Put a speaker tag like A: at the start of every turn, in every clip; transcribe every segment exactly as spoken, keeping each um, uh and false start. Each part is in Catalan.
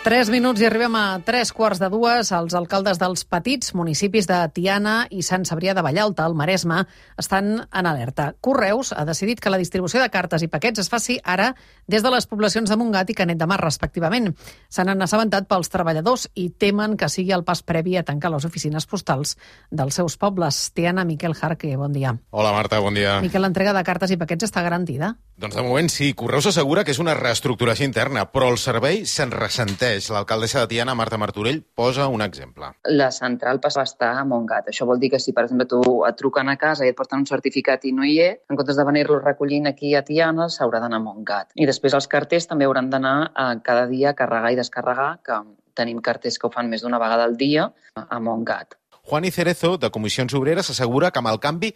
A: Tres minuts i arribem a tres quarts de dues. Els alcaldes dels petits municipis de Tiana i Sant Cebrià de Vallalta, al Maresme, estan en alerta. Correus ha decidit que la distribució de cartes i paquets es faci ara des de les poblacions de Montgat i Canet de Mar, respectivament. Se n'han assabentat pels treballadors i temen que sigui el pas previ a tancar les oficines postals dels seus pobles. Tiana, Miquel Jarque, bon dia.
B: Hola, Marta, bon dia.
A: Miquel, l'entrega de cartes i paquets està garantida?
B: Doncs de moment sí. Correus assegura que és una reestructuració interna, però el servei se'n ressenteix. L'alcaldessa de Tiana, Marta Martorell, posa un exemple.
C: La central passa a estar a Montgat. Això vol dir que si, per exemple, tu et truquen a casa i et porten un certificat i no hi és, en comptes de venir-lo recollint aquí a Tiana, s'haurà d'anar a Montgat. I després els carters també hauran d'anar a cada dia a carregar i descarregar, que tenim carters que ho fan més d'una vegada al dia, a Montgat.
B: Juan i Cerezo, de Comissions Obreres, assegura que amb el canvi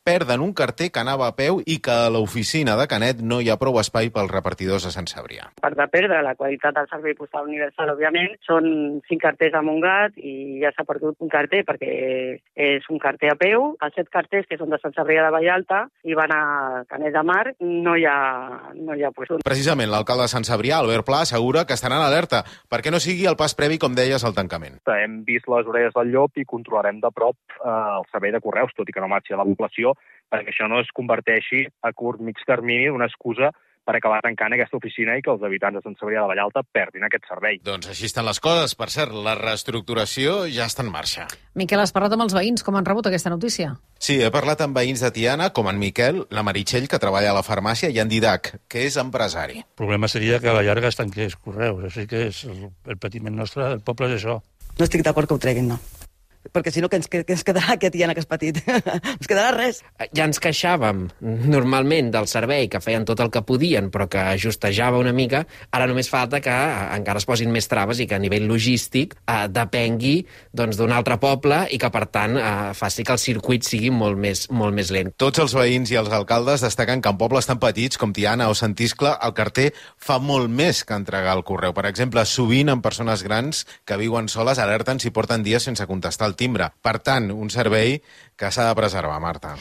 B: perden un carter que anava a peu i que a l'oficina de Canet no hi ha prou espai pels repartidors de Sant Cebrià.
D: Per de perdre la qualitat del servei postal universal, òbviament, són cinc carters a Montgat i ja s'ha perdut un carter perquè és un carter a peu. Els set carters que són de Sant Cebrià de Vallalta i van a Canet de Mar, no hi ha, no hi ha puesto.
B: Precisament l'alcalde de Sant Cebrià, Albert Pla, assegura que estaran en alerta perquè no sigui el pas previ, com deies, al tancament.
E: Hem vist les orelles del llop i controlarem de prop eh, el servei de correus, tot i que no marxi a la població, perquè això no es converteixi a curt mig termini una excusa per acabar tancant aquesta oficina i que els habitants de Sant Cebrià de Vallalta perdin aquest servei.
B: Doncs així estan les coses. Per cert, la reestructuració ja està en marxa.
A: Miquel, has parlat amb els veïns? Com han rebut aquesta notícia?
B: Sí, he parlat amb veïns de Tiana, com en Miquel, la Meritxell, que treballa a la farmàcia, i en Didac, que és empresari.
F: El problema seria que a la llarga es tanqués Correus. Així que és el, el patiment nostre del poble és això.
G: No estic d'acord que ho treguin, no. Perquè si no, que ens, que ens quedarà aquest Tiana que és petit? Ens quedarà res.
H: Ja ens queixàvem normalment del servei, que feien tot el que podien, però que ajustejava una mica. Ara només falta que encara es posin més traves i que a nivell logístic eh, depengui doncs, d'un altre poble i que, per tant, eh, faci que el circuit sigui molt més, molt més lent.
B: Tots els veïns i els alcaldes destaquen que en pobles tan petits com Tiana o Sant Iscle el carter fa molt més que entregar el correu. Per exemple, sovint en persones grans que viuen soles alerten si porten dies sense contestar el timbre. Per tant, un servei que s'ha de preservar, Marta.